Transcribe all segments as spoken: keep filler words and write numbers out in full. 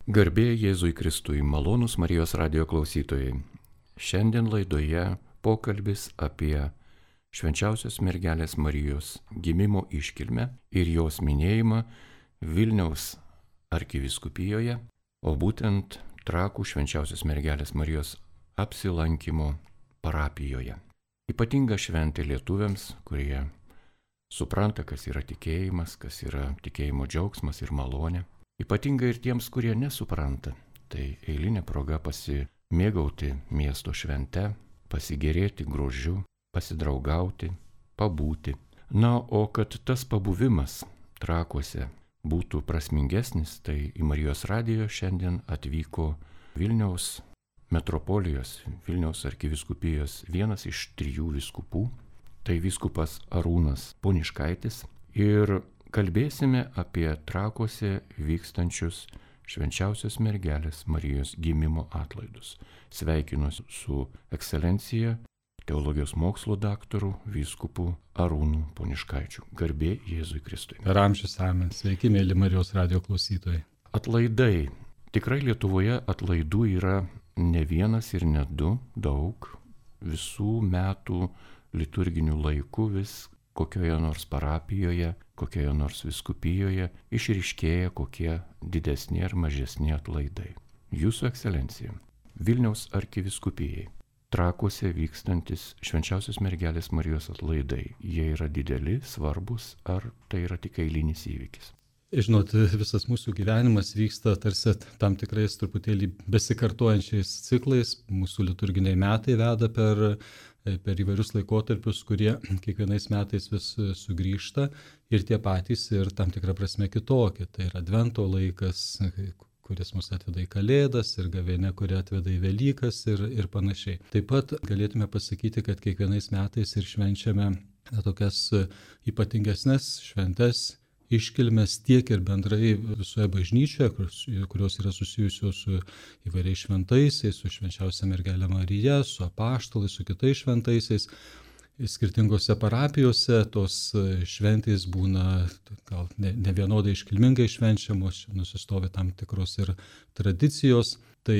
Garbė Jėzui Kristui, malonūs Marijos radijo klausytojai. Šiandien laidoje pokalbis apie švenčiausios mergelės Marijos gimimo iškilmę ir jos minėjimą Vilniaus arkivyskupijoje, o būtent Trakų švenčiausios mergelės Marijos apsilankimo parapijoje. Ypatinga šventė lietuviams, kurie supranta, kas yra tikėjimas, kas yra tikėjimo džiaugsmas ir malonė. Ypatinga ir tiems, kurie nesupranta. Tai eilinė proga pasimėgauti miesto švente, pasigėrėti grožiu, pasidraugauti, pabūti. Na, o kad tas pabuvimas Trakuose būtų prasmingesnis, tai į Marijos radijo šiandien atvyko Vilniaus metropolijos, Vilniaus arkivyskupijos vienas iš trijų vyskupų, tai vyskupas Arūnas Poniškaitis, ir kalbėsime apie Trakuose vykstančius švenčiausios mergelės Marijos gimimo atlaidus. Sveikinuosi su ekscelencija, teologijos mokslo daktaru, vyskupu Arūnu Poniškaičiu. Garbė Jėzui Kristui. Per amžius amen. Sveiki, mėly Marijos radijo klausytojai. Atlaidai. Tikrai Lietuvoje atlaidų yra ne vienas ir ne du, daug. Visų metų liturginių laikų vis kokioje nors parapijoje, kokioje nors vyskupijoje išryškėja kokie didesni ar mažesni atlaidai. Jūsų ekscelencija, Vilniaus arkivyskupijai, Trakuose vykstantis švenčiausios mergelės Marijos atlaidai, jie yra dideli, svarbus, ar tai yra tik eilinis įvykis? Žinot, visas mūsų gyvenimas vyksta tarsi tam tikrais truputėlį besikartojančiais ciklais. Mūsų liturginiai metai veda per, per įvairius laikotarpius, kurie kiekvienais metais vis sugrįžta ir tie patys ir tam tikrą prasme kitokie. Tai yra Advento laikas, kuris mus atveda į Kalėdas, ir gavėnia, kuri atveda į Velykas ir, ir panašiai. Taip pat galėtume pasakyti, kad kiekvienais metais ir švenčiame tokias ypatingesnes šventes, iškilmes tiek ir bendrai visoje bažnyčioje, kurios yra susijusios su įvairiais šventaisiais, su švenčiausia mergelė Marija, su apaštalais, su kitais šventaisiais. Skirtingose parapijose tos šventės būna gal ne, ne vienodai iškilmingai švenčiamos, nusistovi tam tikros ir tradicijos. Tai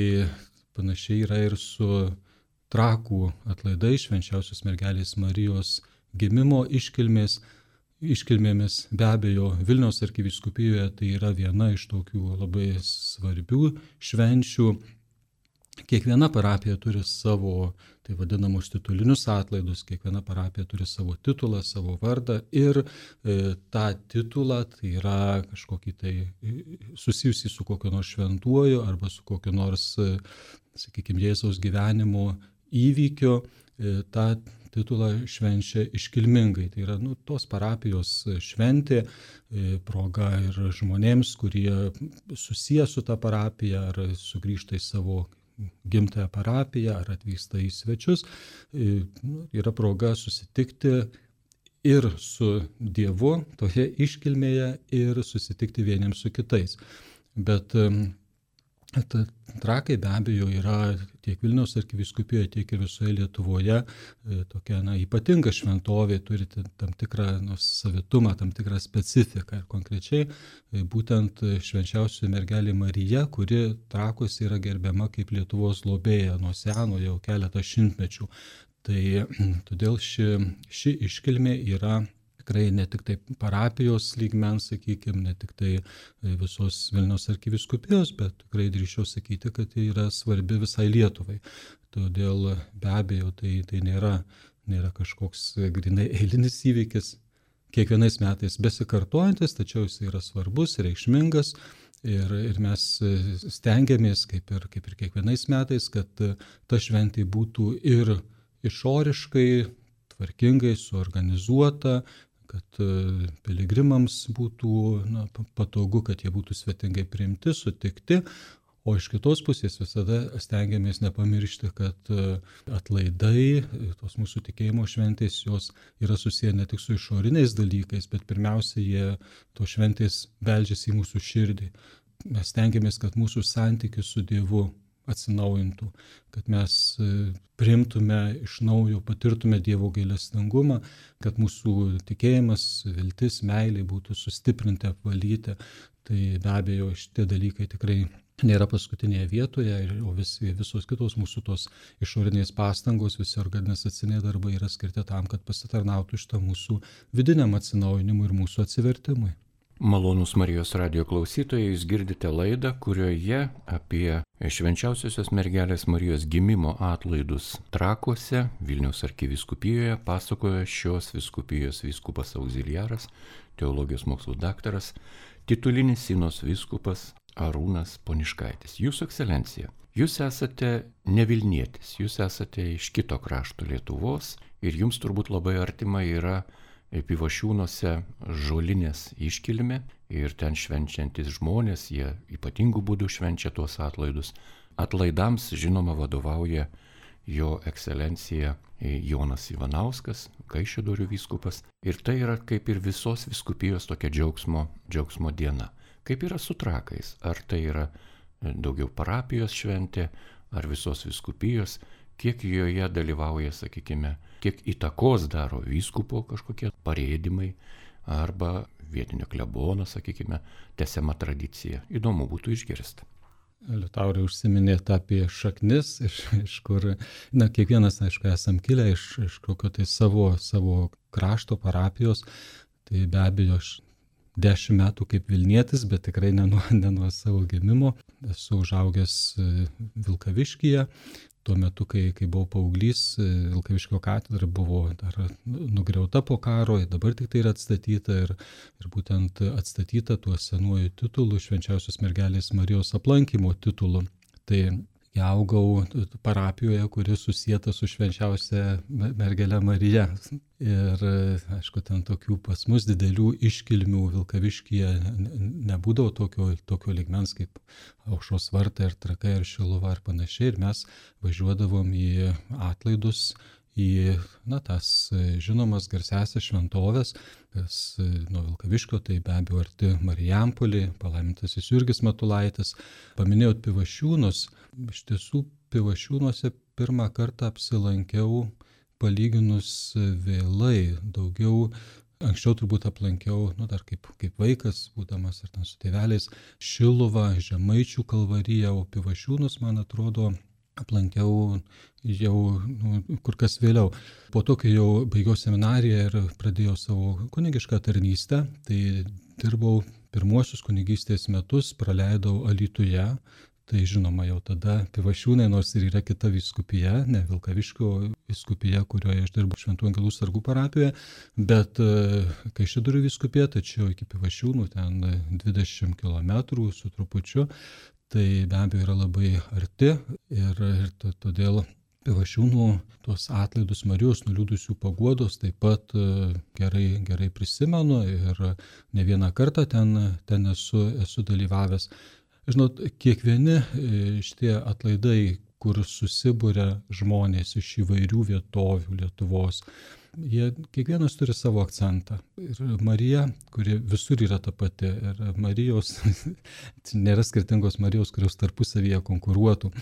panašiai yra ir su Trakų atlaidai, švenčiausios mergelės Marijos gimimo iškilmės. Iškilmėmis be abejo Vilniaus arkivyskupijoje tai yra viena iš tokių labai svarbių švenčių. Kiekviena parapija turi savo, tai vadinamus, titulinius atlaidus, kiekviena parapija turi savo titulą, savo vardą ir e, tą titulą, tai yra kažkokį tai susijusį su kokiu nors šventuoju arba su kokiu nors, e, sakykime, Jėzaus gyvenimo įvykio, e, tą titulą švenčia iškilmingai. Tai yra nu, tos parapijos šventė, e, proga ir žmonėms, kurie susiję su tą parapiją ar sugrįžta į savo gimtąją parapiją ar atvyksta į svečius, e, yra proga susitikti ir su Dievu toje iškilmėje ir susitikti vieniems su kitais. Bet e, Trakai be abejo yra tiek Vilniaus arkivyskupijoje, tiek ir visoje Lietuvoje tokia na, ypatinga šventovė, turi tam tikrą nu, savitumą, tam tikrą specifiką. Ir konkrečiai būtent švenčiausioji mergelė Marija, kuri Trakuose yra gerbiama kaip Lietuvos globėja nuo seno jau keletą šimtmečių. Tai todėl ši, ši iškilmė yra tikrai ne tik tai parapijos lygmens, sakykime, ne tik tai visos Vilniaus arkivyskupijos, bet tikrai drįsčiau sakyti, kad tai yra svarbi visai Lietuvai. Todėl be abejo tai, tai nėra, nėra kažkoks grinai eilinis įvykis, kiekvienais metais besikartojantis, tačiau jis yra svarbus, reikšmingas ir, ir mes stengiamės, kaip ir, kaip ir kiekvienais metais, kad ta šventė būtų ir išoriškai, tvarkingai suorganizuota, kad piligrimams būtų na, patogu, kad jie būtų svetingai priimti, sutikti, o iš kitos pusės visada stengiamės nepamiršti, kad atlaidai, tos mūsų tikėjimo šventės, jos yra susiję ne tik su išoriniais dalykais, bet pirmiausia, jie to šventės beldžiasi į mūsų širdį. Mes stengiamės, kad mūsų santykis su Dievu atsinaujintų, kad mes priimtume iš naujo, patirtume Dievo gailestingumą, kad mūsų tikėjimas, viltis, meilė būtų sustiprinti, apvalyti. Tai be abejo šitie dalykai tikrai nėra paskutinėje vietoje, o vis, visos kitos mūsų tos išorinės pastangos, visi organizaciniai darbai yra skirti tam, kad pasitarnautų šitą mūsų vidiniam atsinaujinimui ir mūsų atsivertimui. Malonūs Marijos radijo klausytojai, jūs girdite laidą, kurioje apie švenčiausiosios mergelės Marijos gimimo atlaidus Trakuose, Vilniaus arkivyskupijoje, pasakoja šios vyskupijos vyskupas auxiliaras, teologijos mokslų daktaras, titulinis Sinos vyskupas Arūnas Poniškaitis. Jūsų ekscelencija, jūs esate ne Vilnietis, jūs esate iš kito krašto Lietuvos ir jums turbūt labai artima yra Pivašiūnuose žolinės iškilmė ir ten švenčiantis žmonės, jie ypatingų būdų švenčia tuos atlaidus. Atlaidams, žinoma, vadovauja jo ekscelencija Jonas Ivanauskas, Kaišiadorių vyskupas. Ir tai yra kaip ir visos vyskupijos tokia džiaugsmo, džiaugsmo diena. Kaip yra su Trakais? Ar tai yra daugiau parapijos šventė, ar visos vyskupijos? Kiek joje dalyvauja, sakykime, kiek įtakos daro vyskupo kažkokie parėdimai arba vietinio klebono, sakykime, tęsiama tradicija. Įdomu būtų išgirsti. Liutaurai užsiminėte apie šaknis, iš, iš kur, na, kiekvienas, aišku, esam kilę iš, iš kokio tai savo, savo krašto parapijos, tai be abejo aš dešimt metų kaip Vilnietis, bet tikrai ne nuo, ne nuo savo gimimo. Esu užaugęs Vilkaviškyje. Tuo metu, kai, kai buvau paauglys, Vilkaviškio katedra buvo dar nugriauta po karo, dabar tik tai yra atstatyta ir, ir būtent atstatyta tuo senuoju titulu, Švenčiausios mergelės Marijos aplankymo titulu. Tai augau parapijoje, kuri susieta su Švenčiausia mergele Marija. Ir, aišku, ten tokių pas mus didelių iškilmių Vilkaviškyje nebūdavo tokio, tokio lygmens kaip Aušros vartai ir Trakai ir Šiluva ir panašiai. Ir mes važiuodavom į atlaidus, į, na, tas žinomas garsiasias šventovės, kas nuo Vilkaviškio, tai be abejo arti Marijampolį, palaimintasis Jurgis Matulaitis. Paminėjot Pivašiūnus. Iš tiesų, Pivašiūnuose pirmą kartą apsilankiau palyginus vėlai, daugiau. Anksčiau turbūt aplankiau, nu, dar kaip, kaip vaikas, būdamas ar ten su tėveliais, Šiluvą, Žemaičių kalvariją, o Pivašiūnus, man atrodo, aplankiau jau nu, kur kas vėliau. Po to, kai jau baigiau seminariją ir pradėjau savo kunigišką tarnystę, tai dirbau pirmuosius kunigystės metus, praleidau Alytuje. Tai žinoma, jau tada Pivašiūnai, nors ir yra kita vyskupija, ne Vilkaviškio vyskupija, kurioje aš dirbu Šventų Angelų sargų parapijoje, bet Kaišiadorių vyskupija, tačiau iki Pivašiūnų ten dvidešimt kilometrų su trupučiu. Tai be abejo yra labai arti ir, ir to, todėl Pivašiūnų tuos atlaidus Marijos nuliūdusių paguodos taip pat gerai, gerai prisimenu ir ne vieną kartą ten, ten esu, esu dalyvavęs. Žinot, kiekvieni šitie atlaidai, kur susibūrė žmonės iš įvairių vietovių Lietuvos, jie kiekvienas turi savo akcentą. Ir Marija, kuri visur yra ta pati, ir Marijos, nėra skirtingos Marijos, kurios tarpusavyje konkuruotų.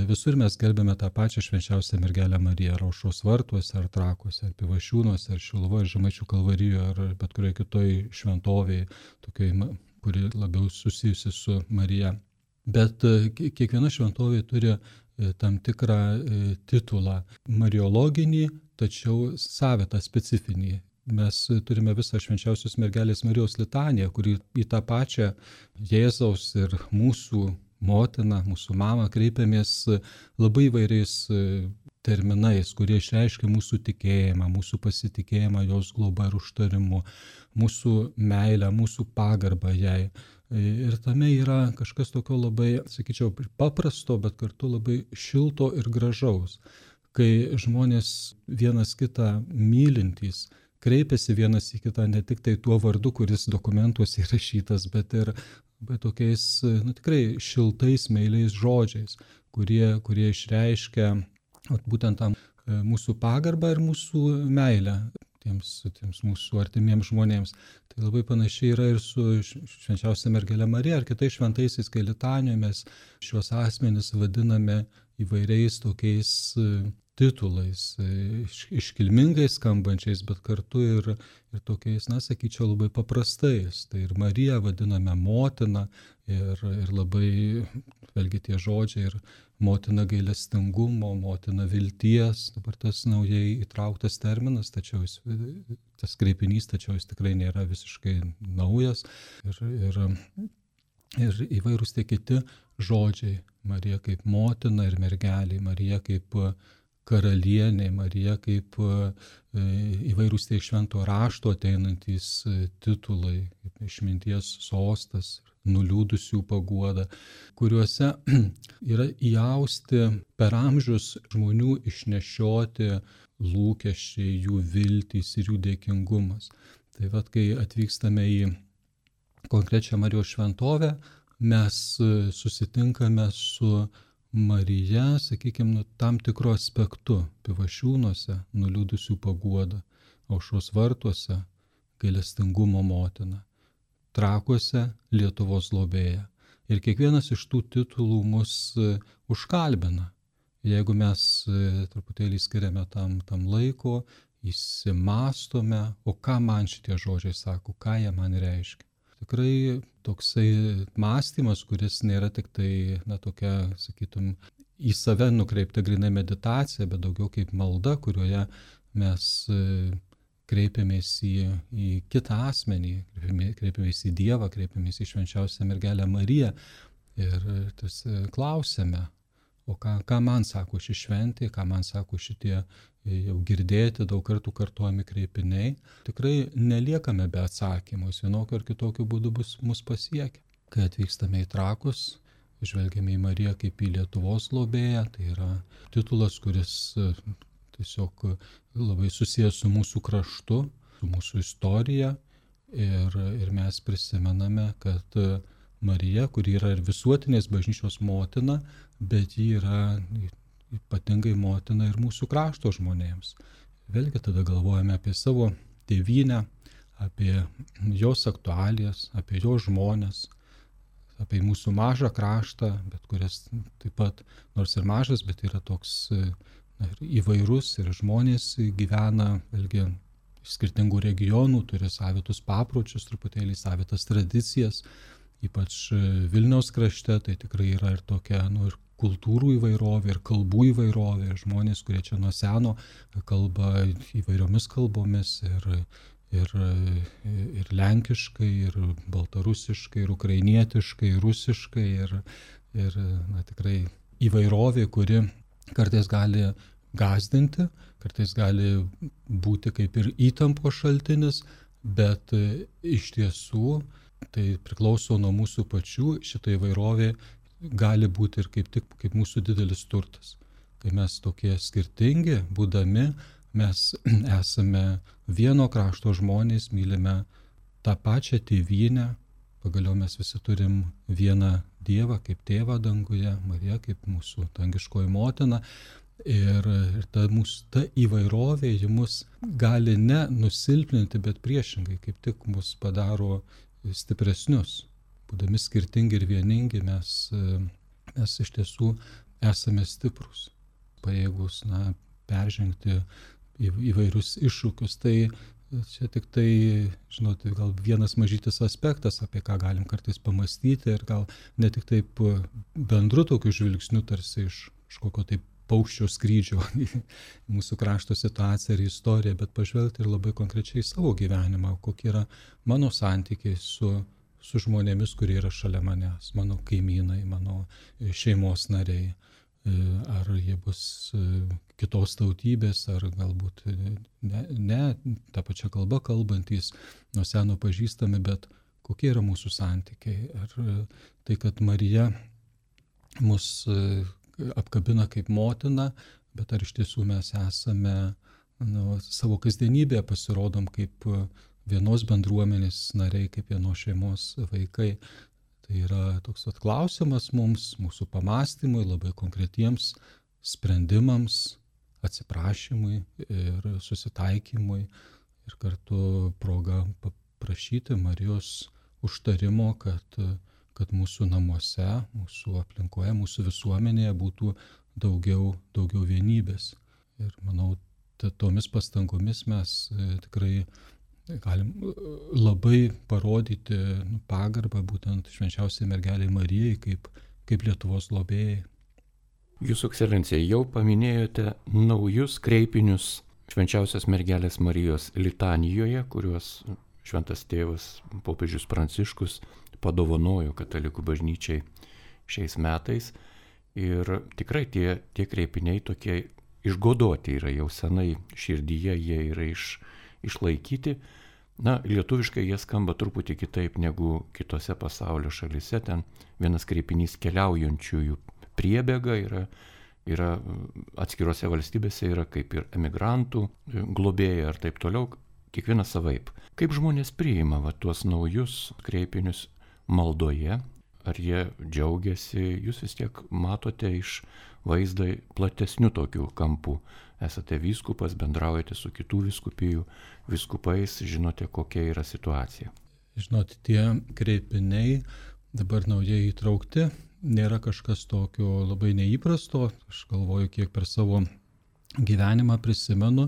Visur mes gerbėme tą pačią švenčiausią mergelę Mariją, ar Aušros vartuose, ar Trakuose, ar Pivašiūnuose, ar Šiluvoje, ar Žemaičių kalvarijoje, ar bet kurioje kitoj šventovėje, tokioj, kuri labiau susijusi su Marija. Bet kiekviena šventovė turi tam tikrą titulą mariologinį, tačiau savitą, specifinį. Mes turime visą švenčiausios mergelės Marijos litaniją, kuri į tą pačią Jėzaus ir mūsų motiną, mūsų mamą kreipiamės labai įvairiais terminais, kurie išreiškia mūsų tikėjimą, mūsų pasitikėjimą jos globa ir užtarimu, mūsų meilę, mūsų pagarbą jai. Ir tame yra kažkas tokio labai, sakyčiau, paprasto, bet kartu labai šilto ir gražaus. Kai žmonės vienas kitą mylintys, kreipiasi vienas į kitą ne tik tai tuo vardu, kuris dokumentuose įrašytas, bet ir bet tokiais, nu, tikrai šiltais, meiliais žodžiais, kurie, kurie išreiškia būtent tam mūsų pagarbą ir mūsų meilę tiems, tiems mūsų artimiems žmonėms. Tai labai panašiai yra ir su švenčiausia mergele Marija ar kitais šventaisiais, kai litanijoje mes šios asmenis vadiname įvairiais tokiais titulais, iš, iškilmingai skambančiais, bet kartu ir, ir tokiais, na, sakyčiau, labai paprastais. Tai ir Mariją vadiname motina ir, ir labai, vėlgi tie žodžiai, ir motina gailestingumo, motina vilties, dabar tas naujai įtrauktas terminas, tačiau jis, tas kreipinys, tačiau jis tikrai nėra visiškai naujas. Ir, ir, ir įvairūs tie kiti žodžiai, Marija kaip motina ir mergelė, Marija kaip karalienė, Marija kaip įvairūs tie švento rašto ateinantys titulai, kaip išminties sostas, nuliūdusių paguoda, kuriuose yra įausti per amžius žmonių išnešioti lūkesčiai, jų viltys ir jų dėkingumas. Tai vat, kai atvykstame į konkrečią Marijos šventovę, mes susitinkame su Marija, sakykime, nu, tam tikru aspektu, Pivašiūnuose nuliūdusių paguoda, Aušros vartuose gailestingumo motina, Trakuose Lietuvos globėja. Ir kiekvienas iš tų titulų mus užkalbina. Jeigu mes truputėlį skiriame tam, tam laiko, įsimastome, o ką man šitie žodžiai sako, ką jie man reiškia. Tikrai toksai mąstymas, kuris nėra tik tai, na, tokia, sakytum, į save nukreipta grynai meditacija, bet daugiau kaip malda, kurioje mes kreipiamės į, į kitą asmenį, kreipiamės į Dievą, kreipiamės į švenčiausią mergelę Mariją ir tas klausiame, o ką, ką man sako ši šventė, ką man sako šitie jau girdėti daug kartų kartojami kreipiniai. Tikrai neliekame be atsakymų, jis vienokiu ar kitokiu būdu bus mus pasiekia. Kai atvykstame į Trakus, žvelgiame į Mariją kaip į Lietuvos globėją, tai yra titulas, kuris tiesiog labai susijęs su mūsų kraštu, su mūsų istorija ir, ir mes prisimename, kad Marija, kuri yra ir visuotinės bažnyčios motina, bet ji yra ypatingai motina ir mūsų krašto žmonėms. Vėlgi tada galvojame apie savo tėvynę, apie jos aktualijas, apie jos žmones, apie mūsų mažą kraštą, bet kuris taip pat, nors ir mažas, bet yra toks ir įvairus ir žmonės gyvena, vėlgi, iš skirtingų regionų, turi savitus papročius, truputėlį savitas tradicijas, ypač Vilniaus krašte, tai tikrai yra ir tokia, nu, ir kultūrų įvairovė, ir kalbų įvairovė, ir žmonės, kurie čia nuo seno kalba įvairiomis kalbomis, ir, ir, ir lenkiškai, ir baltarusiškai, ir ukrainietiškai, ir rusiškai, ir, ir na, tikrai įvairovė, kuri kartais gali gąsdinti, kartais gali būti kaip ir įtampos šaltinis, bet iš tiesų tai priklauso nuo mūsų pačių, šita įvairovė gali būti ir kaip tik kaip mūsų didelis turtas. Kai mes tokie skirtingi, būdami, mes esame vieno krašto žmonės, mylime tą pačią tėvynę, pagaliau mes visi turim vieną Dievą kaip tėvą danguje, Mariją kaip mūsų dangiškoji motina. Ir, ir ta, mūsų, ta įvairovė ji mus gali ne nusilpninti, bet priešingai, kaip tik mus padaro stipresnius. Būdami skirtingi ir vieningi, mes, mes iš tiesų esame stiprus, pajėgus, na, peržengti įvairius iššūkius. Tai čia tik tai, žinot, gal vienas mažytis aspektas, apie ką galim kartais pamastyti ir gal ne tik taip bendru tokiu žvilgsniu, tarsi iš kažkokio taip paukščio skrydžio į mūsų krašto situaciją ir istoriją, bet pažvelgti ir labai konkrečiai savo gyvenimą, kokie yra mano santykiai su, su žmonėmis, kurie yra šalia manęs, mano kaimynai, mano šeimos nariai, ar jie bus kitos tautybės, ar galbūt ne, ne tą pačią kalbą kalbantys, nuo seno pažįstami, bet kokie yra mūsų santykiai. Ar tai, kad Marija mus apkabina kaip motina, bet ar iš tiesų mes esame, nu, savo kasdienybėje pasirodom kaip vienos bendruomenės nariai, kaip vienos šeimos vaikai. Tai yra toks atklausimas mums, mūsų pamastymui, labai konkretiems sprendimams, atsiprašymui ir susitaikymui ir kartu proga paprašyti Marijos užtarimo, kad kad mūsų namuose, mūsų aplinkoje, mūsų visuomenėje būtų daugiau, daugiau vienybės. Ir manau, tomis pastangomis mes tikrai galim labai parodyti pagarbą būtent švenčiausiai mergelei Marijai kaip, kaip Lietuvos globėjai. Jūsų ekscelencija, jau paminėjote naujus kreipinius švenčiausios mergelės Marijos litanijoje, kuriuos šventas tėvas popiežius Pranciškus padovanojo katalikų bažnyčiai šiais metais. Ir tikrai tie, tie kreipiniai tokie išgodoti yra jau senai širdyje, jie yra iš, išlaikyti. Na, lietuviškai jie skamba truputį kitaip negu kitose pasaulio šalise. Ten vienas kreipinys keliaujančiųjų priebėga yra, yra atskirose valstybėse yra kaip ir emigrantų globėjai ar taip toliau, kiekvienas savaip. Kaip žmonės priima va, tuos naujus kreipinius maldoje? Ar jie džiaugiasi? Jūs vis tiek matote iš vaizdą platesnių tokių kampų. Esate vyskupas, bendraujate su kitų vyskupijų vyskupais, žinote, kokia yra situacija. Žinot, tie kreipiniai dabar naujai įtraukti, nėra kažkas tokio labai neįprasto. Aš galvoju, kiek per savo gyvenimą prisimenu,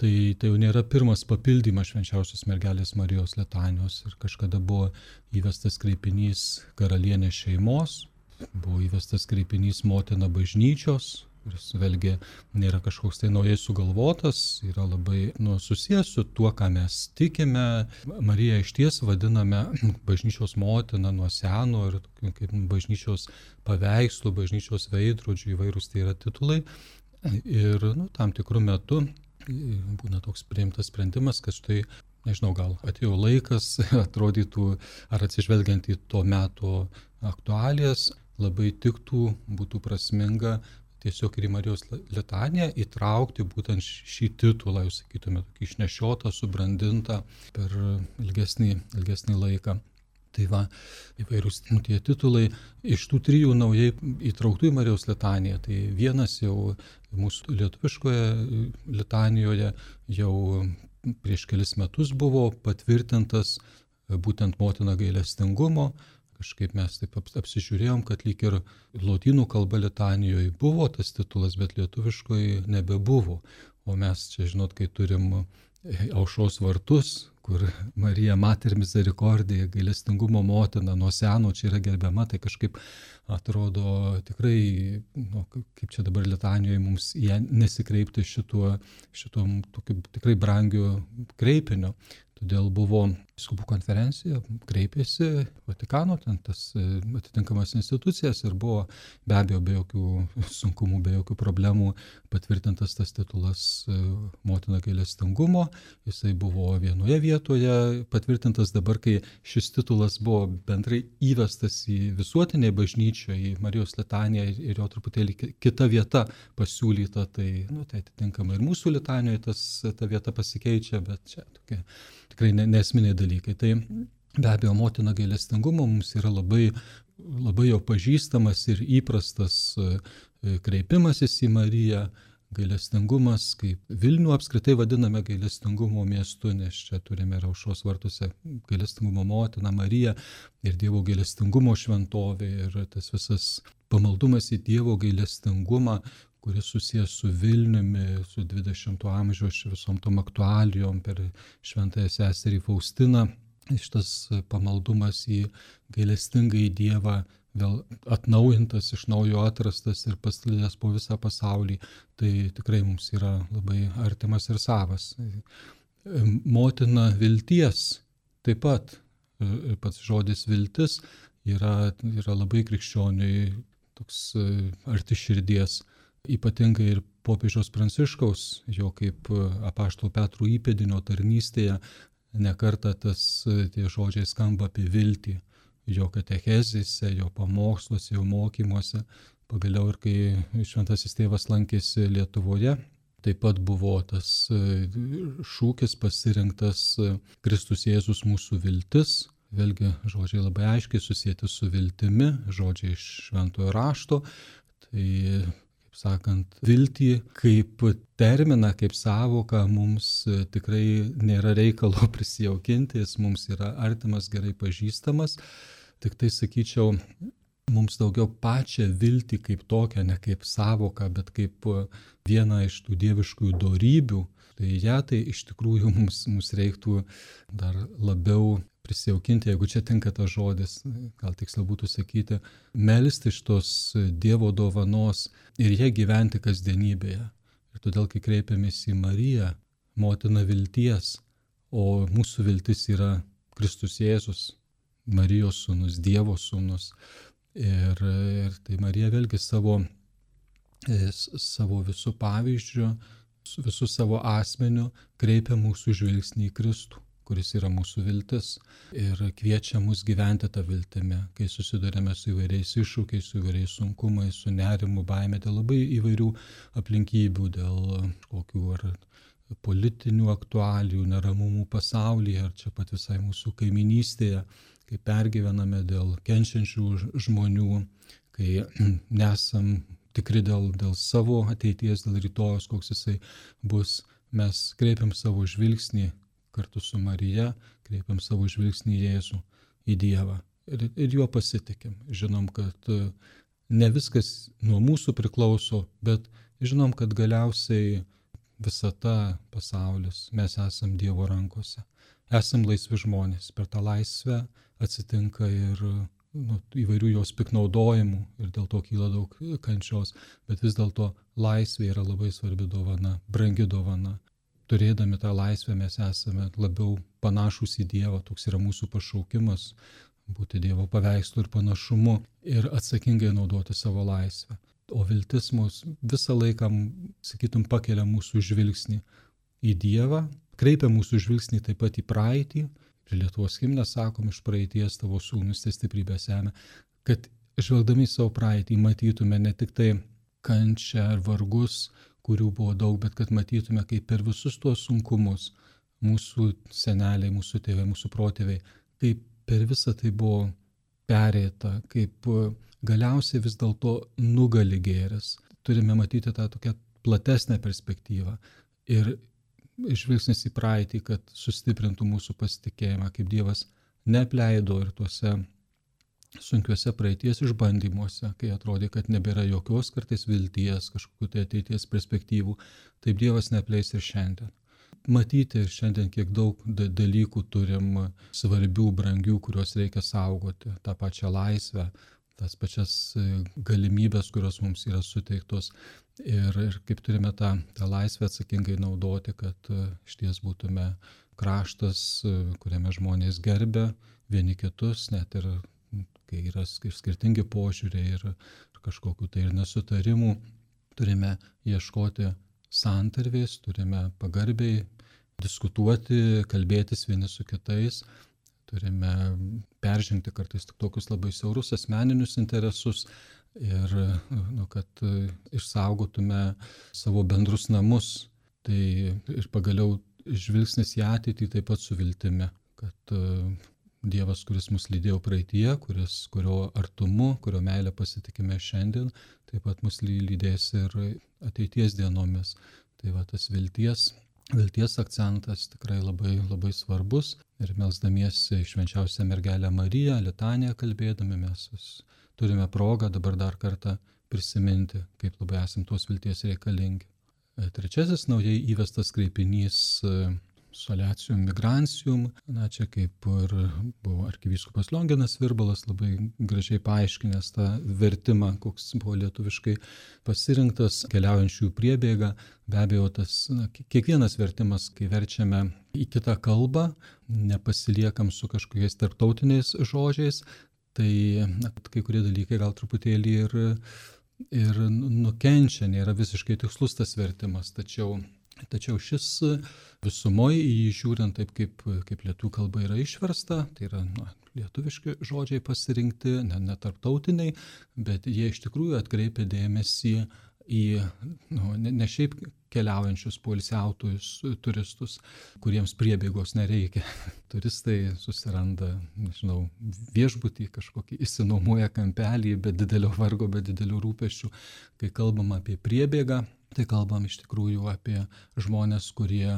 tai, tai jau nėra pirmas papildymas švenčiausios mergelės Marijos litanijos. Ir kažkada buvo įvestas kreipinys karalienės šeimos, buvo įvestas kreipinys motina bažnyčios, kuris vėlgi nėra kažkoks tai naujai sugalvotas, yra labai nu, susijęs su tuo, ką mes tikime. Mariją išties vadiname bažnyčios motina nuo seno ir kaip bažnyčios paveikslų, bažnyčios veidrodžių, įvairūs tai yra titulai. Ir nu, tam tikrų metų būna toks priimtas sprendimas, kad štai, nežinau, gal atėjo laikas, atrodytų, ar atsižvelgiant į to meto aktualijas, labai tiktų, būtų prasminga tiesiog ir į Marijos litaniją įtraukti būtent šį titulą, jūs sakytume, tokį išnešiotą, subrandintą per ilgesnį, ilgesnį laiką. Tai va, įvairūs tie titulai iš tų trijų naujai įtrauktų į Marijos litaniją. Tai vienas jau mūsų lietuviškoje litanijoje jau prieš kelis metus buvo patvirtintas būtent motina gailestingumo. Kažkaip mes taip apsižiūrėjom, kad lyg ir lotynų kalba litanijoje buvo tas titulas, bet lietuviškoje nebebuvo. O mes čia, žinot, kai turim aušros vartus, kur Marija Mater Misericordiae, gailestingumo motina, nuo seno čia yra gerbiama, tai kažkaip atrodo tikrai, nu, kaip čia dabar litanijoje mums ją nesikreipti šituo, šituo tokiu tikrai brangiu kreipiniu. Todėl buvo vyskupų konferencija, kreipėsi Vatikano, ten tas atitinkamas institucijas ir buvo be abejo be jokių sunkumų, be jokių problemų patvirtintas tas titulas motina gailestingumo. Jisai buvo vienoje vietoje patvirtintas, dabar kai šis titulas buvo bendrai įvestas į visuotinę bažnyčią, į Marijos litaniją ir jo truputėlį kita vieta pasiūlyta, tai, nu, tai atitinkamai ir mūsų litanijoje tas, ta vieta pasikeičia, bet čia tokia tikrai nesminiai dalykai. Tai be abejo motina gailestingumo mums yra labai, labai jau pažįstamas ir įprastas kreipimasis į Mariją. Gailestingumas, kaip Vilnių apskritai vadiname gailestingumo miestu, nes čia turime ir aušros vartuose gailestingumo motiną Mariją ir Dievo gailestingumo šventovė ir tas visas pamaldumas į Dievo gailestingumą, kuris susijęs su Vilniumi, su dvidešimto amžiaus visom tom aktualijom per šventąją seserį Faustiną. Šitas pamaldumas į gailestingąjį Dievą vėl atnaujintas, iš naujo atrastas ir pasklidęs po visą pasaulį, tai tikrai mums yra labai artimas ir savas. Motina vilties taip pat, pats žodis viltis yra, yra labai krikščioniui toks arti širdies. Ypatingai ir popiežiaus Pranciškaus, jo kaip apaštalo Petro įpėdinio tarnystėje, nekartą tas tie žodžiai skamba apie viltį, jo katechezėse, jo pamoksluose, jo mokymuose. Pagaliau ir kai šventasis tėvas lankėsi Lietuvoje, taip pat buvo tas šūkis pasirinktas Kristus Jėzus mūsų viltis. Vėlgi žodžiai labai aiškiai susijęti su viltimi, žodžiai iš šventojo rašto. Tai kaip sakant, viltį kaip terminą, kaip sąvoką mums tikrai nėra reikalo prisijaukinti, jis mums yra artimas, gerai pažįstamas. Tik tai sakyčiau, mums daugiau pačią viltį kaip tokią, ne kaip savoką, bet kaip vieną iš tų dieviškųjų dorybių, tai ją tai iš tikrųjų mums, mums reiktų dar labiau prisijaukinti, jeigu čia tinka tas žodis, gal tiksliau būtų sakyti, melsti iš tos Dievo dovanos ir ją gyventi kasdienybėje. Ir todėl, kai kreipiamės į Mariją, motiną vilties, o mūsų viltis yra Kristus Jėzus, Marijos sūnus, Dievo sūnus. Ir, ir tai Marija vėlgi savo, savo visų pavyzdžių, visų savo asmeniu kreipia mūsų žvilgsnį į Kristų, kuris yra mūsų viltis, ir kviečia mus gyventi tą viltimį, kai susidurėme su įvairiais iššūkiais, su įvairiais sunkumais, su nerimu, baime, dėl labai įvairių aplinkybių, dėl kokių ar politinių aktualijų, neramumų pasaulyje, ar čia pat visai mūsų kaiminystėje, kai pergyvename dėl kenčiančių žmonių, kai nesam tikri dėl, dėl savo ateities, dėl rytojos, koks jisai bus, mes kreipiam savo žvilgsnį kartu su Marija, kreipiam savo žvilgsnį į Jėzų, į Dievą ir, ir juo pasitikim. Žinom, kad ne viskas nuo mūsų priklauso, bet žinom, kad galiausiai visata, pasaulis, mes esam Dievo rankose. Esam laisvi žmonės. Per tą laisvę atsitinka ir nu, įvairių jos piknaudojimų ir dėl to kyla daug kančios, bet vis dėlto laisvė yra labai svarbi dovana, brangi dovana. Turėdami tą laisvę mes esame labiau panašūs į Dievą, toks yra mūsų pašaukimas, būti Dievo paveikslu ir panašumu ir atsakingai naudoti savo laisvę. O viltis mus visą laiką, sakytum, pakelia mūsų žvilgsnį į Dievą, kreipia mūsų žvilgsnį taip pat į praeitį. Ir Lietuvos himne sakom, iš praeities tavo sūnus tai stiprybę semia, kad žvelgdami savo praeitį matytume ne tik tai kančią ar vargus, kurių buvo daug, bet kad matytume, kaip per visus tuos sunkumus mūsų seneliai, mūsų tėvai, mūsų protėviai, kaip per visą tai buvo perėta, kaip galiausiai vis dėlto nugali gėris. Turime matyti tą tokią platesnę perspektyvą ir žvilgsnis į praeitį, kad sustiprintų mūsų pasitikėjimą, kaip Dievas neapleido ir tuose sunkiuose praeities išbandymuose, kai atrodė, kad nebėra jokios kartais vilties, kažkokių tai ateities perspektyvų, taip Dievas neapleis ir šiandien. Matyti šiandien, kiek daug dalykų turim svarbių, brangių, kuriuos reikia saugoti, tą pačią laisvę, tas pačias galimybės, kurios mums yra suteiktos ir, ir kaip turime tą, tą laisvę atsakingai naudoti, kad išties būtume kraštas, kuriame žmonės gerbia vieni kitus, net ir kai yra skirtingi požiūriai ir, ir kažkokių tai ir nesutarimų, turime ieškoti santarvės, turime pagarbiai diskutuoti, kalbėtis vieni su kitais. Turime peržengti kartais tik tokius labai siaurus asmeninius interesus ir nu, kad išsaugotume savo bendrus namus. Tai ir pagaliau žvilgsnis į ateitį taip pat su viltimi, kad Dievas, kuris mus lydėjo praeityje, kuris, kurio artumu, kurio meilę pasitikime šiandien, taip pat mus lydės ir ateities dienomis. Tai va tas vilties. Vilties akcentas tikrai labai, labai svarbus ir melsdamiesi švenčiausią mergelę Mariją, litaniją kalbėdami, mes turime progą dabar dar kartą prisiminti, kaip labai esam tos vilties reikalingi. Trečiasis naujai įvestas kreipinys Solatium Migrantium, na čia kaip ir buvo arkivyskupas Lionginas Virbalas labai gražiai paaiškinęs tą vertimą, koks buvo lietuviškai pasirinktas, keliaujančių priebėga. Be abejo, tas, na, kiekvienas vertimas, kai verčiame į kitą kalbą, nepasiliekam su kažkokiais tarptautiniais žodžiais, tai na, kai kurie dalykai gal truputėlį ir, ir nukenčia, nėra visiškai tikslus tas vertimas, tačiau Tačiau šis visumoje į jį žiūrint taip, kaip, kaip lietuvių kalba yra išversta, tai yra na, lietuviški žodžiai pasirinkti, ne, ne tarptautiniai, bet jie iš tikrųjų atkreipia dėmesį į nu, ne, ne šiaip keliaujančius poilsiautojus turistus, kuriems priebėgos nereikia. Turistai susiranda, nežinau, viešbutį, kažkokį išsinuomoja kampelį, be didelio vargo, be didelių rūpesčių. Kai kalbam apie priebėgą, tai kalbam iš tikrųjų apie žmonės, kurie,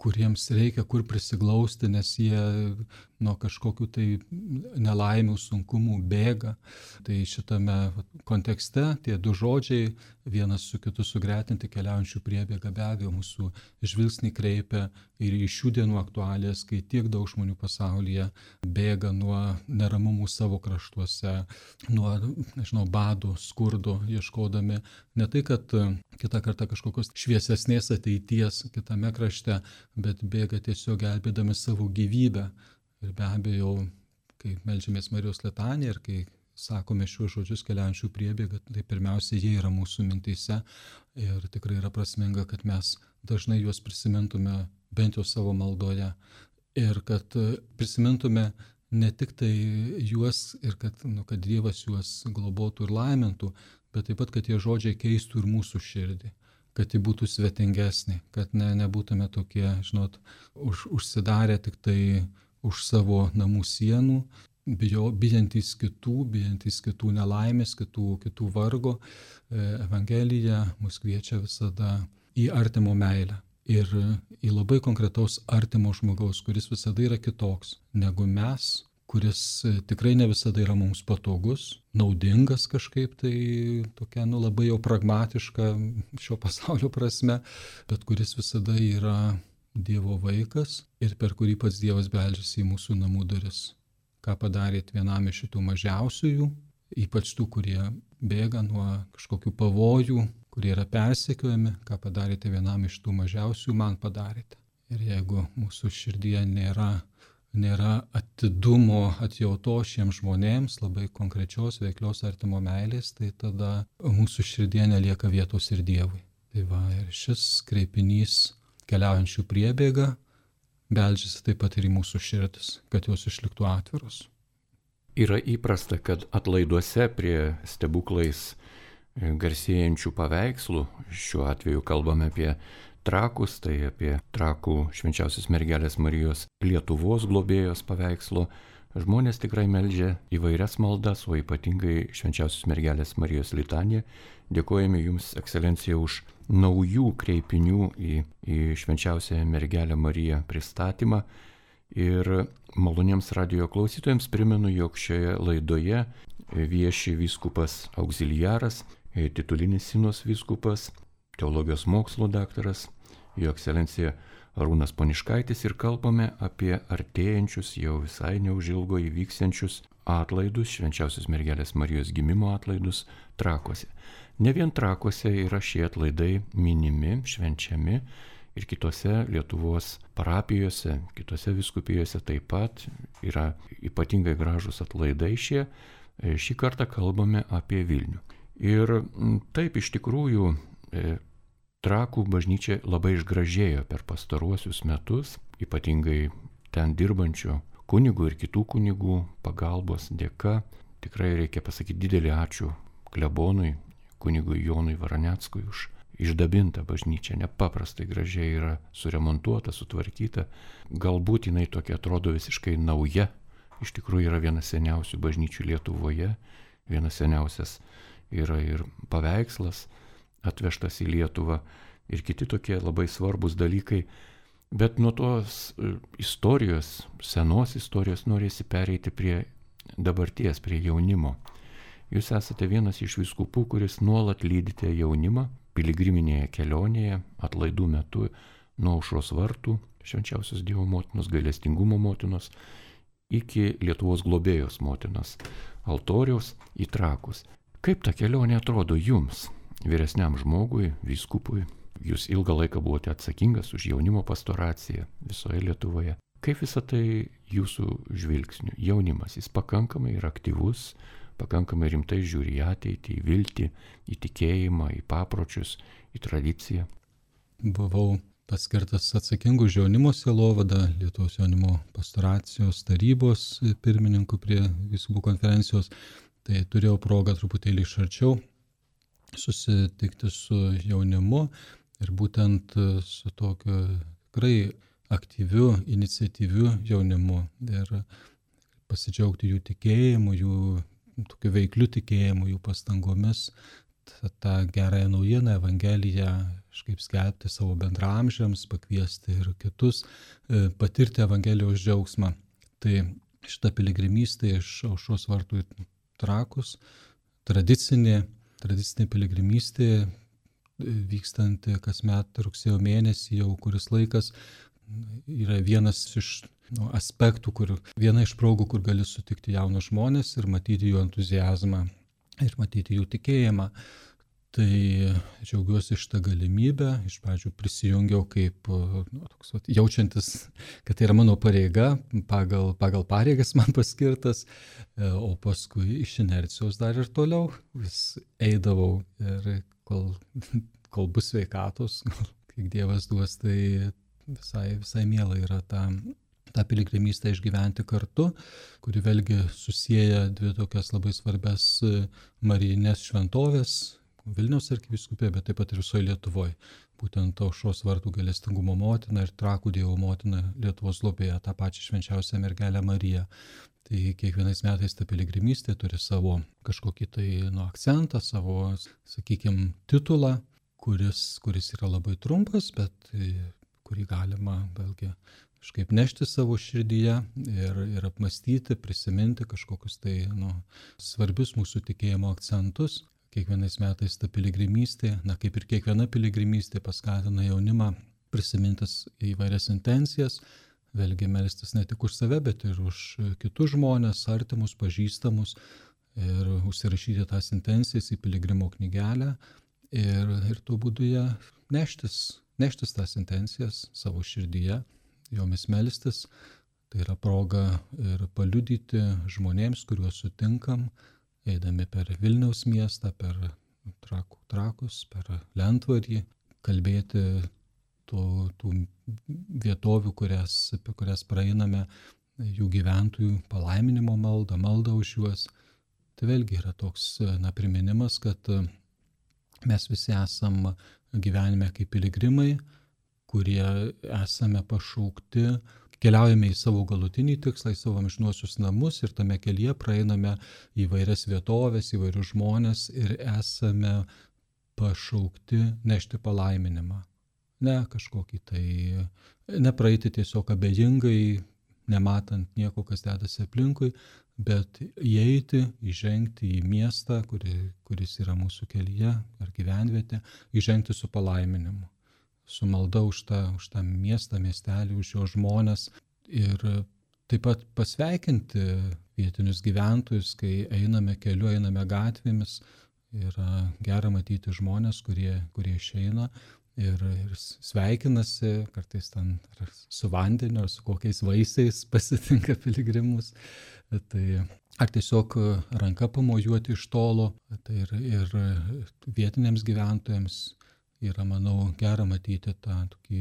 kuriems reikia kur prisiglausti, nes jie nuo kažkokių tai nelaimių, sunkumų bėga. Tai šitame kontekste tie du žodžiai vienas su kitu sugretinti keliaujančių priebėga be abejo mūsų žvilgsnį kreipia ir į šių dienų aktualijas, kai tiek daug žmonių pasaulyje bėga nuo neramumų savo kraštuose, nuo, nežinau, badų, skurdo, ieškodami ne tai, kad kitą kartą kažkokios šviesesnės ateities kitame krašte, bet bėga tiesiog gelbėdami savo gyvybę. Ir be abejo, kai meldžiamės Marijos litaniją ir kai sakome šiuos žodžius keliaujančių priebėga, tai pirmiausia, jie yra mūsų mintyse ir tikrai yra prasminga, kad mes dažnai juos prisimintume bent jau savo maldoje ir kad prisimintume ne tik tai juos ir kad, nu, kad Dievas juos globotų ir laimintų, bet taip pat, kad tie žodžiai keistų ir mūsų širdį, kad ji būtų svetingesnė, kad ne, nebūtume tokie, žinot, už, užsidarę tik tai už savo namų sienų, bijo, bijantys kitų, bijantys kitų nelaimės, kitų, kitų vargo. Evangelija mus kviečia visada į artimo meilę ir į labai konkretaus artimo žmogaus, kuris visada yra kitoks negu mes, kuris tikrai ne visada yra mums patogus, naudingas kažkaip, tai tokia, nu, labai jau pragmatiška šio pasaulio prasme, bet kuris visada yra Dievo vaikas ir per kurį pats Dievas beldžiasi į mūsų namų duris. Ką padarėt vienam iš šitų mažiausiųjų, ypač tų, kurie bėga nuo kažkokių pavojų, kurie yra persekiojami, ką padarėte vienam iš tų mažiausiųjų, man padarėte. Ir jeigu mūsų širdyje nėra, nėra atidumo, atjauto šiems žmonėms, labai konkrečios, veiklios artimo meilės, tai tada mūsų širdyje nelieka vietos ir Dievui. Tai va, ir šis kreipinys keliaujančių priebėga beldžiasi taip pat ir į mūsų širdis, kad jos išliktų atviros. Yra įprasta, kad atlaiduose prie stebuklais garsėjančių paveikslų, šiuo atveju kalbame apie trakus, tai apie trakų švenčiausios mergelės Marijos Lietuvos globėjos paveikslo, žmonės tikrai meldžia įvairias maldas, o ypatingai švenčiausios mergelės Marijos litaniją. Dėkojame Jums, ekscelencija, už naujų kreipinių į, į švenčiausią mergelę Mariją pristatymą. Ir maloniems radijo klausytojams primenu, jog šioje laidoje vieši vyskupas auxiliaras, titulinis sinos vyskupas, teologijos mokslo daktaras, jo ekscelencija Arūnas Poniškaitis, ir kalbame apie artėjančius, jau visai neužilgo įvyksiančius atlaidus, švenčiausios mergelės Marijos gimimo atlaidus Trakuose. Ne vien Trakuose yra šie atlaidai minimi, švenčiami ir kitose Lietuvos parapijose, kitose vyskupijose taip pat yra ypatingai gražus atlaidai šie. Šį kartą kalbame apie Vilnių. Ir taip iš tikrųjų Trakų bažnyčia labai išgražėjo per pastaruosius metus, ypatingai ten dirbančių kunigų ir kitų kunigų pagalbos dėka. Tikrai reikia pasakyti didelį ačiū klebonui, kunigui Jonui Varaneckui už išdabintą bažnyčią. Nepaprastai gražiai yra suremontuota, sutvarkyta. Galbūt jinai tokia atrodo visiškai nauja. Iš tikrųjų yra vienas seniausių bažnyčių Lietuvoje. Vienas seniausias yra ir paveikslas atvežtas į Lietuvą ir kiti tokie labai svarbus dalykai. Bet nuo tos istorijos, senos istorijos norėsi pereiti prie dabarties, prie jaunimo. Jūs esate vienas iš vyskupų, kuris nuolat lydite jaunimą piligriminėje kelionėje, atlaidų metu nuo Aušros vartų, švenčiausios Dievo motinos, gailestingumo motinos, iki Lietuvos globėjos motinos altoriaus į Trakus. Kaip ta kelionė atrodo jums, vyresniam žmogui, vyskupui? Jūs ilgą laiką buvote atsakingas už jaunimo pastoraciją visoje Lietuvoje. Kaip visą tai jūsų žvilgsniu? Jaunimas, jis pakankamai yra aktyvus, pakankamai rimtai žiūri į ateitį, į viltį, į tikėjimą, į papročius, į tradiciją. Buvau paskirtas atsakingu už jaunimo sielovadą Lietuvos jaunimo pastoracijos tarybos pirmininku prie vyskupų konferencijos. Tai turėjau progą truputėlį iš arčiau susitikti su jaunimu ir būtent su tokiu tikrai aktyviu, iniciatyviu jaunimu ir pasidžiaugti jų tikėjimu, jų tokiu veikliu tikėjimu, jų pastangomis tą, tą gerąją naujieną, Evangeliją, kažkaip skelbti savo bendraamžiams, pakviesti ir kitus patirti Evangelijos džiaugsmą. Tai šita piligrimystė iš Aušros vartų į Trakus, tradicinė, tradicinė piligrimystė, vykstanti kasmet rugsėjo mėnesį jau kuris laikas, yra vienas iš nu, aspektų, kur, viena iš progų, kur gali sutikti jaunus žmonės ir matyti jų entuziazmą ir matyti jų tikėjimą. Tai džiaugiuosi šitą galimybę, iš pradžių prisijungiau kaip nu, toks, vat, jaučiantis, kad tai yra mano pareiga, pagal, pagal pareigas man paskirtas, o paskui iš inercijos dar ir toliau vis eidavau ir kol, kol bus sveikatos, kiek Dievas duos, tai visai, visai miela yra tą, tą piligrimystę išgyventi kartu, kuri vėlgi susieja dvi tokias labai svarbias marijinės šventovės, Vilniaus arkivyskupija, bet taip pat ir visoje Lietuvoje. Būtent Aušros vartų gailestingumo motina ir Trakų Dievo motina Lietuvos globėja, tą pačią švenčiausią mergelę Mariją. Tai kiekvienais metais ta piligrimystė turi savo kažkokį tai nu, akcentą, savo, sakykime, titulą, kuris, kuris yra labai trumpas, bet kurį galima vėlgi kažkaip nešti savo širdyje ir, ir apmastyti, prisiminti kažkokius tai nu, svarbius mūsų tikėjimo akcentus. Kiekvienais metais ta piligrimystė, na kaip ir kiekviena piligrimystė, paskatina jaunimą prisimintis įvairias intencijas, vėlgi melstis ne tik už save, bet ir už kitus žmonės, artimus, pažįstamus ir užsirašyti tas intencijas į piligrimo knygelę ir, ir tuo būdu ją neštis, neštis tas intencijas savo širdyje, jomis melstis. Tai yra proga ir paliudyti žmonėms, kuriuos sutinkam, eidami per Vilniaus miestą, per trakų, Trakus, per Lentvarį, kalbėti tų, tų vietovių, kurias, apie kurias praeiname, jų gyventojų palaiminimo maldą, maldą už juos. Tai vėlgi yra toks na, priminimas, kad mes visi esam gyvenime kaip piligrimai, kurie esame pašaukti, keliaujame į savo galutinį tikslą, į savo amžinuosius namus ir tame kelyje praeiname įvairias vietovės, įvairius žmonės ir esame pašaukti nešti palaiminimą. Ne kažkokį tai, nepraeiti tiesiog abejingai, nematant nieko, kas dedasi aplinkui, bet įeiti, įžengti į miestą, kuri, kuris yra mūsų kelyje ar gyvenvietė, įžengti su palaiminimu. Su malda už tą, už tą miestą, miestelį, už jo žmones ir taip pat pasveikinti vietinius gyventojus, kai einame keliu, einame gatvėmis. Yra gera matyti žmonės, kurie, kurie išeina ir, ir sveikinasi, kartais ten su vandeniu ar su kokiais vaisiais pasitinka piligrimus. Tai ar tiesiog ranka pamojuoti iš tolo, tai ir, ir vietiniams gyventojams yra, manau, gera matyti tą tokį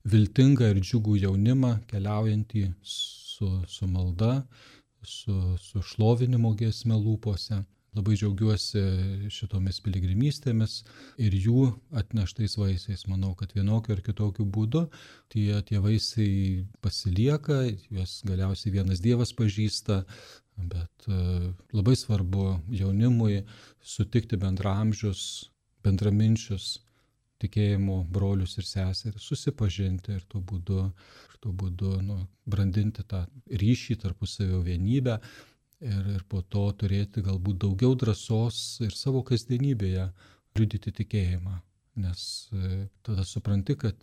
viltingą ir džiugų jaunimą, keliaujantį su, su malda, su, su šlovinimo giesme lūpose. Labai džiaugiuosi šitomis piligrimystėmis ir jų atneštais vaisiais. Manau, kad vienokiu ar kitokiu būdu tie, tie vaisiai pasilieka, juos galiausiai vienas Dievas pažįsta, bet labai svarbu jaunimui sutikti bendraamžius, bendraminčius tikėjimo brolius ir seseris, susipažinti ir tuo būdu, ir tuo būdu nu, brandinti tą ryšį tarpusavio vienybę ir, ir po to turėti galbūt daugiau drąsos ir savo kasdienybėje liudyti tikėjimą. Nes tada supranti, kad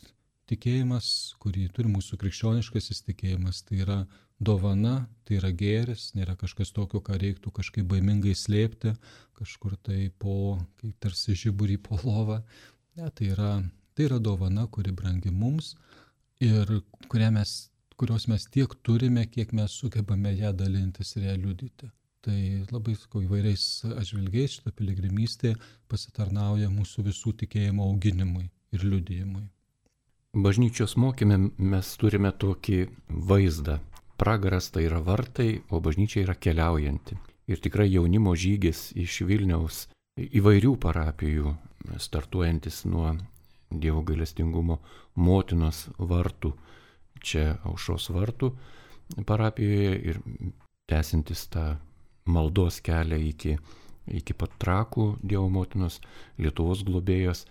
tikėjimas, kurį turi mūsų krikščioniškasis tikėjimas, tai yra dovana, tai yra gėris, nėra kažkas tokio, ką reiktų kažkaip baimingai slėpti, kažkur tai po, kaip tarsi žiburį po lovą. Ne, tai yra, tai yra dovana, kuri brangi mums ir mes, kurios mes tiek turime, kiek mes sugebame ją dalintis ir ją liudyti. Tai labai sakau, įvairiais atžvilgiais šita piligrimystė pasitarnauja mūsų visų tikėjimo auginimui ir liudijimui. Bažnyčios mokyme mes turime tokį vaizdą. Pragaras tai yra vartai, o bažnyčia yra keliaujanti. Ir tikrai jaunimo žygis iš Vilniaus įvairių parapijų, startuojantis nuo Dievo gailestingumo motinos vartų, čia Aušros vartų parapijoje ir tęsintis tą maldos kelią iki, iki pat Trakų Dievo motinos, Lietuvos globėjos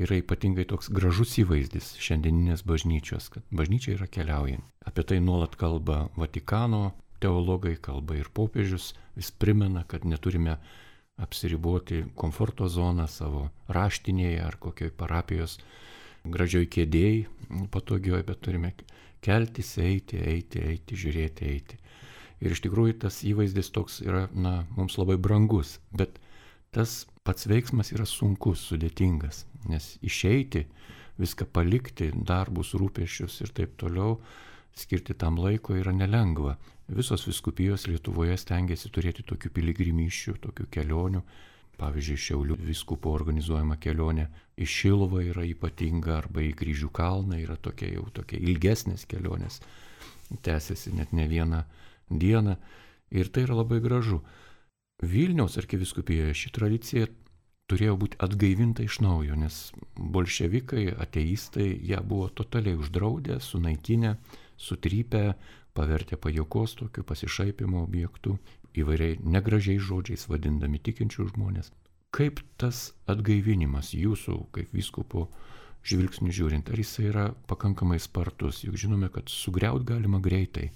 yra ypatingai toks gražus įvaizdis šiandieninės bažnyčios, kad bažnyčia yra keliaujant. Apie tai nuolat kalba Vatikano teologai, kalba ir popiežius, vis primena, kad neturime apsiriboti komforto zoną savo raštinėje ar kokioj parapijos gražioj kėdėjai patogioj, bet turime keltis, eiti, eiti, eiti, žiūrėti, eiti. Ir iš tikrųjų tas įvaizdis toks yra, na, mums labai brangus, bet tas pats veiksmas yra sunkus, sudėtingas, nes išeiti, viską palikti, darbus, rūpesčius ir taip toliau, skirti tam laiko yra nelengva. Visos vyskupijos Lietuvoje stengiasi turėti tokių piligrimysčių, tokių kelionių. Pavyzdžiui, Šiaulių vyskupo organizuojama kelionė į Šiluvą yra ypatinga, arba į Kryžių kalną yra tokia jau tokia ilgesnės kelionės, tęsiasi net ne vieną dieną ir tai yra labai gražu. Vilniaus arkivyskupijoje ši tradicija turėjo būti atgaivinta iš naujo, nes bolševikai, ateistai ją buvo totaliai uždraudę, sunaikinę, sutrypę, pavertę pajuokos tokiu pasišaipimo objektu, įvairiai negražiais žodžiais vadindami tikinčių žmonės. Kaip tas atgaivinimas jūsų, kaip vyskupo žvilgsnių žiūrint, ar jis yra pakankamai spartus? Juk žinome, kad sugriaut galima greitai,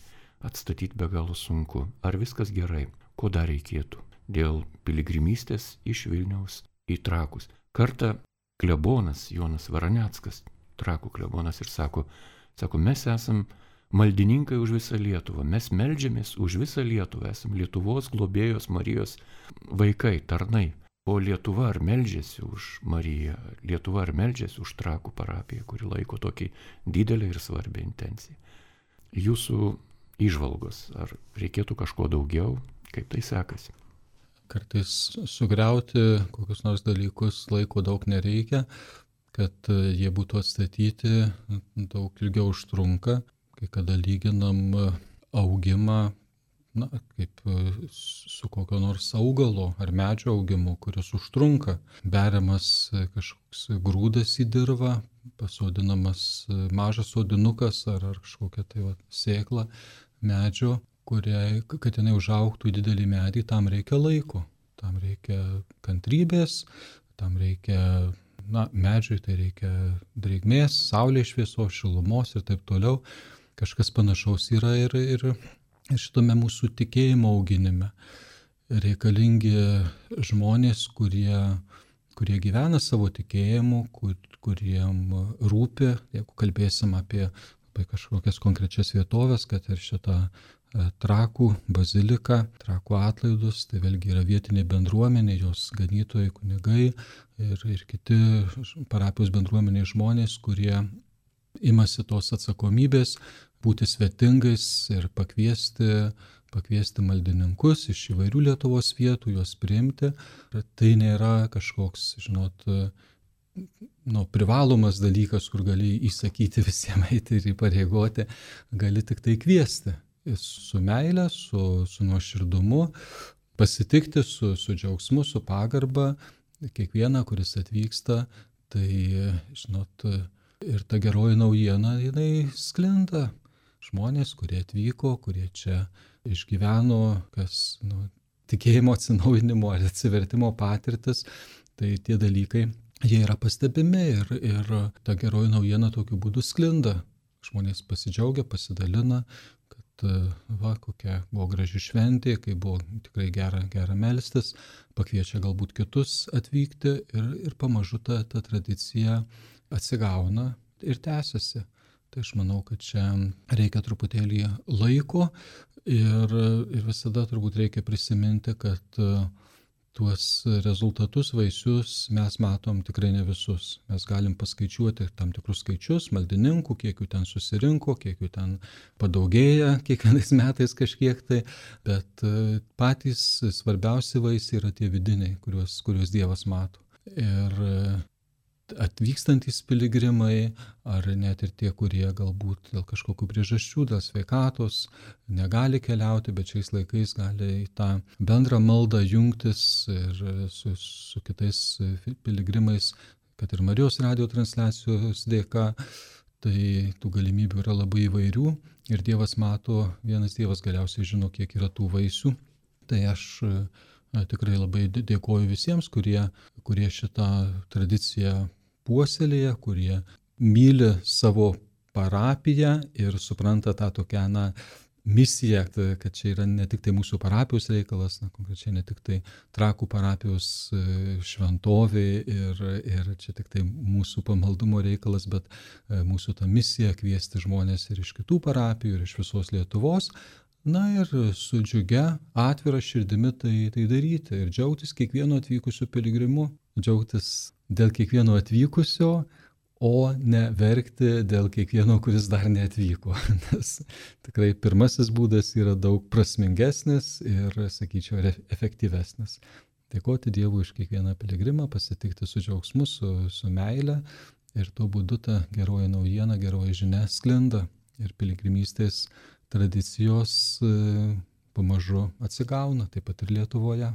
atstatyti be galo sunku. Ar viskas gerai? Ko dar reikėtų? Dėl piligrimystės iš Vilniaus į Trakus. Kartą klebonas Jonas Varaneckas, Trakų klebonas, ir sako, sako, mes esam maldininkai už visą Lietuvą, mes meldžiamės už visą Lietuvą, esam Lietuvos globėjos Marijos vaikai, tarnai. O Lietuva ar meldžiasi už Mariją, Lietuva ar meldžiasi už Trakų parapiją, kuri laiko tokį didelį ir svarbią intenciją. Jūsų įžvalgos, ar reikėtų kažko daugiau, kaip tai sekasi? Kartais sugriauti kokius nors dalykus laiko daug nereikia, kad jie būtų atstatyti, daug ilgiau užtrunka. Kai kada lyginam augimą, na, kaip su kokio nors augalo ar medžio augimu, kuris užtrunka. Beriamas kažkoks grūdas į dirvą, pasodinamas mažas sodinukas ar, ar kažkokia tai va, sėkla medžio, kuriai, kad jinai užaugtų į didelį medį, tam reikia laiko, tam reikia kantrybės, tam reikia, na, medžiui tai reikia drėgmės, saulės šviesos, šilumos ir taip toliau. Kažkas panašaus yra ir, ir šitame mūsų tikėjimo auginime. Reikalingi žmonės, kurie, kurie gyvena savo tikėjimu, kur, kuriem rūpi, jeigu kalbėsim apie, apie kažkokias konkrečias vietovės, kad ir šitą Trakų baziliką, Trakų atlaidus, tai vėlgi yra vietinė bendruomenė, jos ganytojai, kunigai ir, ir kiti parapijos bendruomeniai žmonės, kurie imasi tos atsakomybės būti svetingais ir pakviesti, pakviesti maldininkus iš įvairių Lietuvos vietų, juos priimti. Tai nėra kažkoks, žinot, nu, privalomas dalykas, kur gali įsakyti visiems eiti ir įpareigoti, gali tik tai kviesti. Su meile, su, su nuoširdumu, pasitikti su, su džiaugsmu, su pagarba, kiekvieną, kuris atvyksta, tai, žinot, ir ta geroji naujiena, jinai sklinda. Žmonės, kurie atvyko, kurie čia išgyveno, kas, nu, tikėjimo atsinaujinimo ar atsivertimo patirtis, tai tie dalykai, jie yra pastebimi ir, ir ta geroji naujiena tokiu būdu sklinda. Žmonės pasidžiaugia, pasidalina, kad va, kokia buvo graži šventė, kai buvo tikrai gera, gera melstis, pakviečia galbūt kitus atvykti ir, ir pamažu ta, ta tradicija atsigauna ir tęsiasi. Tai aš manau, kad čia reikia truputėlį laiko ir, ir visada turbūt reikia prisiminti, kad tuos rezultatus, vaisius mes matom tikrai ne visus. Mes galim paskaičiuoti tam tikrus skaičius, maldininkų, kiek jų ten susirinko, kiek jų ten padaugėja kiekvienais metais kažkiek tai, bet patys svarbiausi vaisiai yra tie vidiniai, kuriuos, kuriuos Dievas mato. Ir atvykstantys piligrimai, ar net ir tie, kurie galbūt dėl kažkokių priežasčių, dėl sveikatos negali keliauti, bet šiais laikais gali į tą bendrą maldą jungtis ir su, su kitais piligrimais, kad ir Marijos radijo transliacijos dėka, tai tų galimybių yra labai įvairių ir Dievas mato, vienas Dievas galiausiai žino, kiek yra tų vaisių. Tai aš tikrai labai dėkoju visiems, kurie, kurie šitą tradiciją puoselėja, kurie myli savo parapiją ir supranta tą tokią, na, misiją, kad čia yra ne tik tai mūsų parapijos reikalas, na, konkrečiai ne tik tai Trakų parapijos šventovė ir, ir čia tik tai mūsų pamaldumo reikalas, bet mūsų ta misija kviesti žmonės ir iš kitų parapijų, ir iš visos Lietuvos. Na ir su džiugia, atvira širdimi tai, tai daryti ir džiaugtis kiekvieno atvykusio piligrimu, džiaugtis dėl kiekvieno atvykusio, o ne verkti dėl kiekvieno, kuris dar neatvyko. Nes tikrai pirmasis būdas yra daug prasmingesnis ir, sakyčiau, efektyvesnis. Dėkoti Dievui už kiekvieną piligrimą, pasitikti su džiaugsmu, su, su meile ir tuo būdu ta geroji naujiena, geroji žinia sklinda ir piligrimystės tradicijos pamažu atsigauna, taip pat ir Lietuvoje.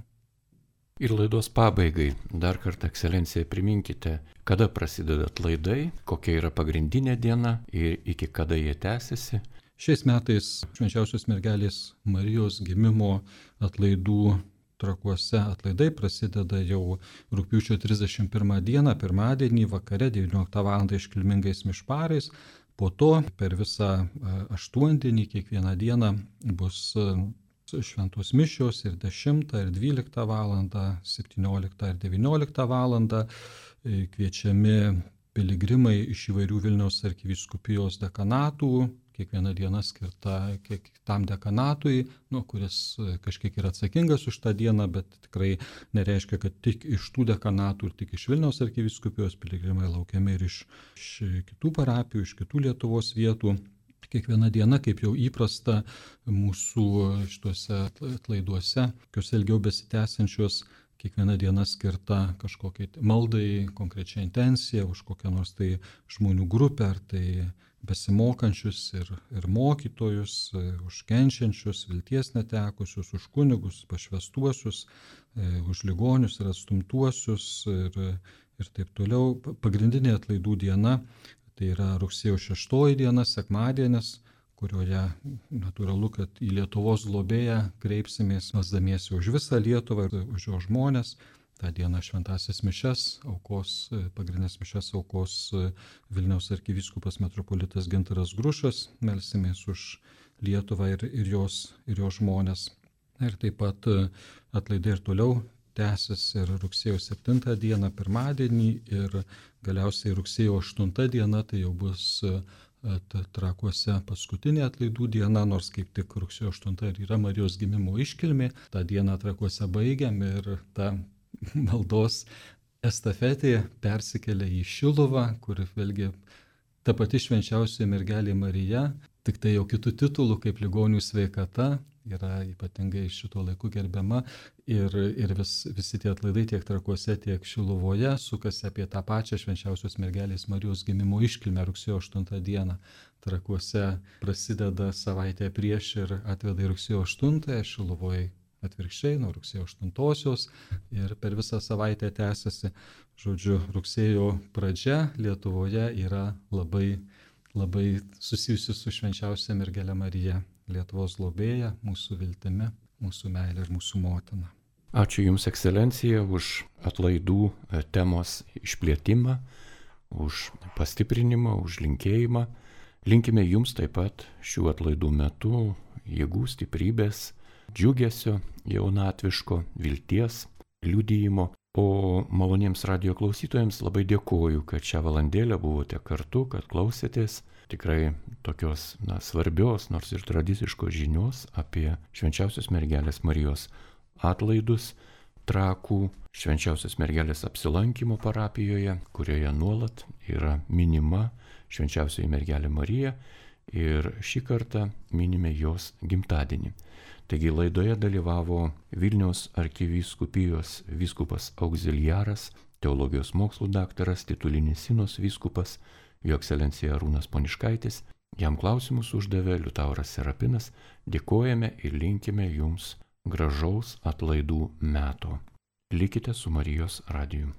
Ir laidos pabaigai dar kartą, ekscelencija, priminkite, kada prasideda atlaidai, kokia yra pagrindinė diena ir iki kada jie tęsiasi. Šiais metais Švenčiausios mergelės Marijos gimimo atlaidų Trakuose atlaidai prasideda jau rugpjūčio trisdešimt pirmą dieną, pirmadienį vakare devynioliktą valandą iškilmingais mišparais. Po to per visą aštuondienį kiekvieną dieną bus šventos mišios ir dešimtą ir dvyliktą valandą, septynioliktą ir devynioliktą valandą. Kviečiami piligrimai iš įvairių Vilniaus arkivyskupijos dekanatų, kiekviena diena skirta kiek tam dekanatui, nu, kuris kažkiek yra atsakingas už tą dieną, bet tikrai nereiškia, kad tik iš tų dekanatų ir tik iš Vilniaus arkivyskupijos piligrimai laukiami ir iš, iš kitų parapijų, iš kitų Lietuvos vietų. Kiekviena diena, kaip jau įprasta mūsų šituose atlaiduose, kokios ilgiau besitęsiančios, kiekviena diena skirta kažkokiai maldai, konkrečia intencija, už kokią nors tai žmonių grupę, ar tai besimokančius ir, ir mokytojus, už kenčiančius, vilties netekusius, už kunigus, pašvestuosius, už ligonius ir atstumtuosius ir, ir taip toliau. Pagrindinė atlaidų diena tai yra rugsėjo šeštoji diena, sekmadienis, kurioje natūralu, kad į Lietuvos globėją kreipsimės, melsdamiesi už visą Lietuvą ir už jo žmones. Ta diena šventąsias mišias aukos, pagrindinės mišias aukos Vilniaus arkivyskupas metropolitas Gintaras Grušas, melsimės už Lietuvą ir, ir, jos, ir jos žmones. Ir taip pat atlaidai ir toliau tęsis ir rugsėjo septintą dieną pirmadienį ir galiausiai rugsėjo aštunta diena, tai jau bus Trakuose paskutinė atlaidų diena, nors kaip tik rugsėjo aštunta ir yra Marijos gimimo iškilmė. Ta diena Trakuose baigiam ir ta maldos estafetė persikelia į Šiluvą, kur vėlgi ta pati švenčiausioji mergelė Marija, tik tai jau kitų titulų kaip ligonių sveikata, yra ypatingai šito laiku gerbiama ir, ir vis, visi tie atlaidai tiek Trakuose, tiek Šiluvoje sukasi apie tą pačią švenčiausios mergelės Marijos gimimo iškilmę rugsėjo aštuntą dieną. Trakuose prasideda savaitę prieš ir atveda į rugsėjo aštuntąją, Šiluvoje atvirkščiai nuo rugsėjo aštuntosios ir per visą savaitę tęsiasi. Žodžiu, rugsėjo pradžia Lietuvoje yra labai, labai susijusi su švenčiausia mergelė Marija, Lietuvos globėja, mūsų viltimi, mūsų meilė ir mūsų motina. Ačiū Jums, ekscelencija, už atlaidų temos išplėtimą, už pastiprinimą, už linkėjimą. Linkime Jums taip pat šių atlaidų metu jėgų, stiprybės, džiugesio, jaunatviško, vilties, liudijimo. O maloniems radijo klausytojams labai dėkoju, kad šią valandėlę buvote kartu, kad klausėtės tikrai tokios na, svarbios, nors ir tradiciškos žinios apie švenčiausios mergelės Marijos atlaidus Trakų švenčiausios mergelės apsilankimo parapijoje, kurioje nuolat yra minima švenčiausioji mergelė Marija ir šį kartą minime jos gimtadienį. Taigi laidoje dalyvavo Vilniaus arkivyskupijos vyskupas auxiliaras, teologijos mokslų daktaras, titulinis Sinos vyskupas, jo ekscelencija Arūnas Poniškaitis. Jam klausimus uždavė Liutauras Serapinas. Dėkojame ir linkime Jums gražaus atlaidų meto. Likite su Marijos radiju.